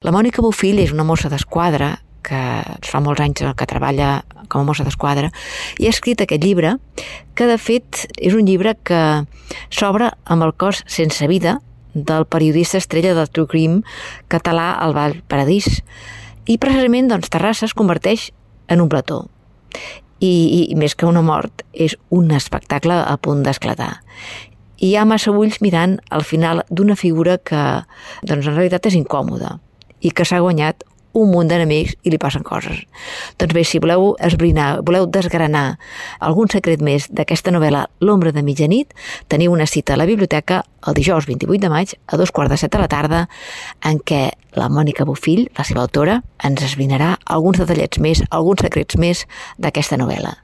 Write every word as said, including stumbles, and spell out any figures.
La Mònica Bofill és una mossa d'esquadra que fa molts anys que treballa com a mossa d'esquadra i ha escrit aquest llibre que de fet és un llibre que s'obre amb el cos sense vida del periodista estrella del True Crime català Albal Paradís i precisament doncs, Terrassa es converteix en un plató i, i més que una mort és un espectacle a punt d'esclatar. I hi ha massa ulls mirant al final d'una figura que doncs, en realitat és incòmoda i que s'ha guanyat un munt d'enemics i li passen coses. Doncs bé, si voleu esbrinar, voleu desgranar algun secret més d'aquesta novel·la L'ombra de mitjanit, teniu una cita a la biblioteca el dijous vint-i-vuit de maig a dos quarts de set de la tarda en què la Mònica Bofill, la seva autora, ens esbrinarà alguns detallets més, alguns secrets més d'aquesta novel·la.